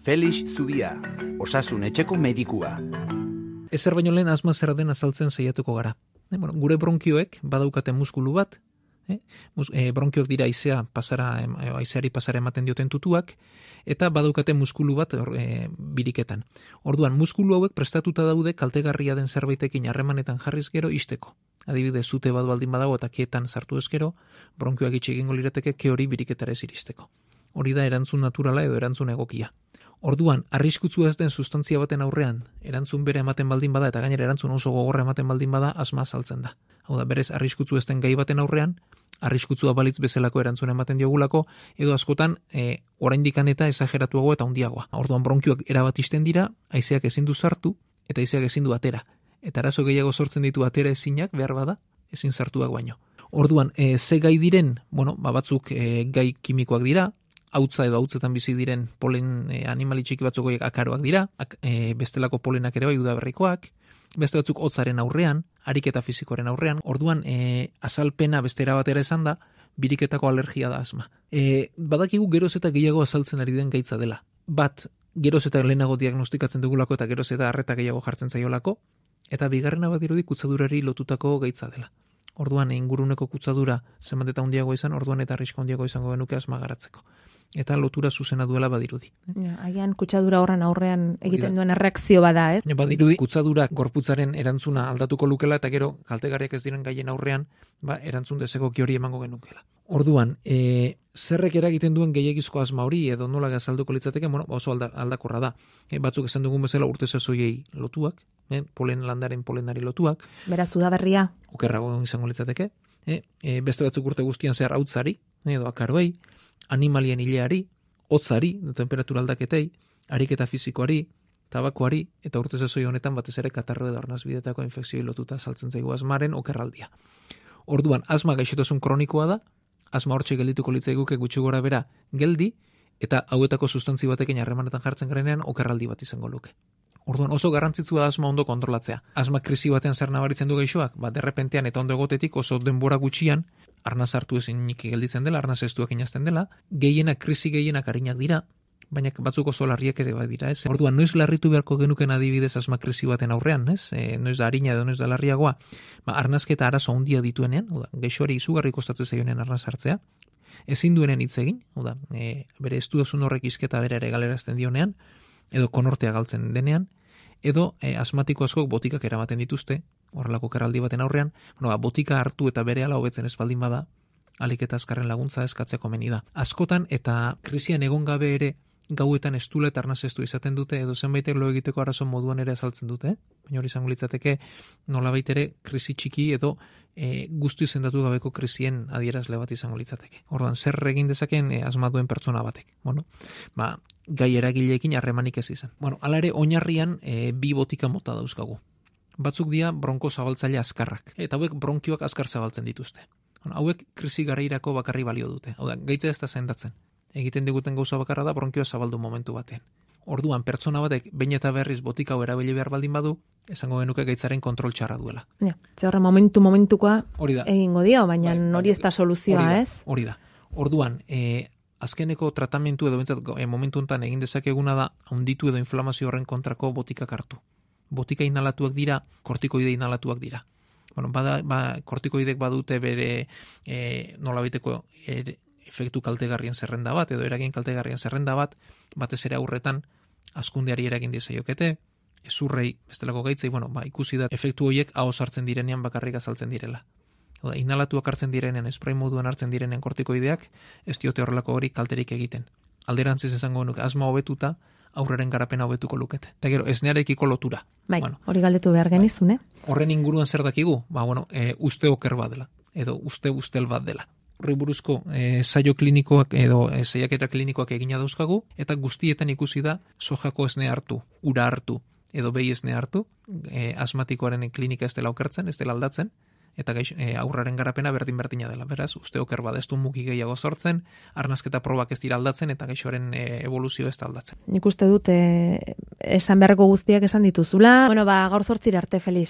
Felix Zubia, Osasun Etxeko medikua. Ezer baino lehen asma zer den azaltzen saiatuko gara. Gure bronkioek badaukate muskulu bat, bronkioak dira haizeari pasara ematen dioten tutuak, eta badaukate muskulu bat biriketan. Orduan, muskulu hauek prestatuta daude kaltegarria den zerbaitekin harremanetan jarriz gero isteko. Adibidez, zute bat baldin badago eta keetan sartu ezkero, bronkioak itxi egingo lirateke ke hori biriketara ez iristeko. Hori da erantzun naturala edo erantzun egokia. Orduan, arriskutsu ez den sustantzia baten aurrean, erantzun bere ematen baldin bada, eta gainera erantzun oso gogorra ematen baldin bada, asma azaltzen da. Hau da, berez, arriskutsu ez den gai baten aurrean, arriskutsua balitz bezalako erantzun ematen diogulako, edo askotan, oraindikan eta esageratuago eta handiagoa. Orduan, bronkioak erabat isten dira, haizeak ezin du sartu, eta haizeak ezin du atera. Eta arazo gehiago sortzen ditu atera ezinak, behar bada, ezin sartuak baino. Orduan, ze gai diren, batzuk gai kimikoak dira, hautza edo hautzetan bizi diren polen animali txiki batzuk horiek akaroak dira, bestelako polenak ere bai udaberrikoak, beste batzuk hotzaren aurrean, ariketa fizikoaren aurrean, orduan azalpena bestera batera esan da, biriketako alergia da asma. Badakigu geroz eta gehiago azaltzen ari den gaitza dela. Bat, geroz eta lehenago diagnostikatzen dugulako eta geroz eta arreta gehiago jartzen zaiolako, eta bigarrena badirudi kutsadurari lotutako gaitza dela. Orduan inguruneko kutsadura zenbat eta handiago izan, orduan eta arrisko handiago izango genuke asma garatzeko. Eta lotura zuzena duela badirudi. Agian kutsadura horren aurrean egiten duen erreakzio bada, ez? Badirudi kutsadura gorputzaren erantzuna aldatuko lukela eta gero kaltegarriak ez diren gaien aurrean, erantzun desegoki hori emango genukela. Orduan, zerrek eragiten duen gehiagizko asma hori edo nola azalduko litzateke, oso aldakorra da. Batzuk esan dugun bezala urte sasoiei lotuak, polen landaren polenari lotuak. Beraz, udaberria. Okerrago izango litzateke. Beste batzuk urte guztian zehar hautzari, edo akaroei, animalien hileari, hotzari, temperatura aldaketei, ariketa fizikoari, tabakoari, eta urte sasoi honetan batez ere katarro edo arnasbidetako infekzioi lotuta saltzen zaigu asmaren okerraldia. Orduan, asma gaixotasun kronikoa da, asma hortxe geldituko litzaiguke gutxi gora bera geldi, eta hauetako sustantzi batekin harremanetan jartzen garenean okerraldi bat izango luke. Orduan oso garrantzitsua da asma ondo kontrolatzea. Asma krisi batean zer nabaritzen du gaixoak, derrepentean eta ondo egotetik oso denbora gutxian, arnaz hartu ezinik gelditzen dela, arnaz estuak inazten dela, krisi gehienak arinak dira, baina batzuk oso larriak ere bai dira, ez? Orduan, noiz larritu beharko genuken adibidez asma krisi baten aurrean, ez? Noiz da harina edo noiz da larriagoa, arnazketa arazo handia dituenean, gaixoari izugarri kostatzen zaionean arnaz hartzea, ezin duenen hitz egin, bere estudasun horrek izketa bere ere galerazten dionean, edo konortea galtzen denean, edo asmatiko askok botikak eramaten dituzte, horrelako kerraldi baten aurrean, botika hartu eta berehala hobetzen ez baldin bada, alik eta azkarren laguntza eskatzeko meni da. Askotan eta krisian egon gabe ere gauetan estula eta arnaz estu izaten dute, edo zenbaitek lo egiteko arazo moduan ere azaltzen dute, baina hori izango litzateke nolabait ere krisi txiki edo guzti izendatu gabeko krisien adierazle bat izango litzateke. Orduan, zer egin dezaken asma duen pertsona batek? Gai eragileekin harremanik ez izan. Hala ere, oinarrian bi botika mota dauzkagu. Batzuk dira bronko zabaltzaile azkarrak, eta hauek bronkioak azkar zabaltzen dituzte. Hauek krisi garairako bakarri balio dute. Hau da, gaitza ez da sendatzen. Egiten diguten gauza bakarra da bronkioa zabaldu momentu batean. Orduan, pertsona batek behin eta berriz botika hau erabili behar baldin badu, esango genuke gaitzaren kontrol txarra duela. Ze horre momentukoa egingo dio, baina hori ez da soluzioa, ez? Hori da. Orduan, azkeneko tratamentu edo momentu honetan egin dezakeguna da handitu edo inflamazio horren kontrako botikak hartu. Botika inhalatuak dira, kortikoide inhalatuak dira. Kortikoidek badute bere nolabaiteko efektu kaltegarrien zerrenda bat, edo eragin kaltegarrien zerrenda bat, batez ere aurretan hazkundeari eragin diezaiokete, ezurrei bestelako gaitzei, ikusi da efektu horiek ahoz hartzen direnean bakarrik azaltzen direla. Inhalatuak hartzen direnean, esprai moduan hartzen direnean kortikoideak, ez diote horrelako hori kalterik egiten. Alderantziz esango nuke, asma hobetuta, aurreren garapena hobetuko lukete. Eta gero, esnearekiko lotura. Hori galdetu behar genizun, Horren inguruan zer dakigu? Uste oker bat dela, edo ustel bat dela. Horri buruzko saio klinikoak edo saiakera klinikoak egina dauzkagu, eta guztietan ikusi da sojako esne hartu, ura hartu, edo behi esne hartu, asmatikoaren klinika ez dela okertzen, ez dela aldatzen, eta aurraren garapena berdina dela. Beraz, uste oker bat ez du mugi gehiago sortzen, arnazketa probak ez dira aldatzen, eta gaixoaren evoluzio ez da aldatzen. Nik uste dut, esan beharreko guztiak esan dituzula. Gaur 8 arte, Felix.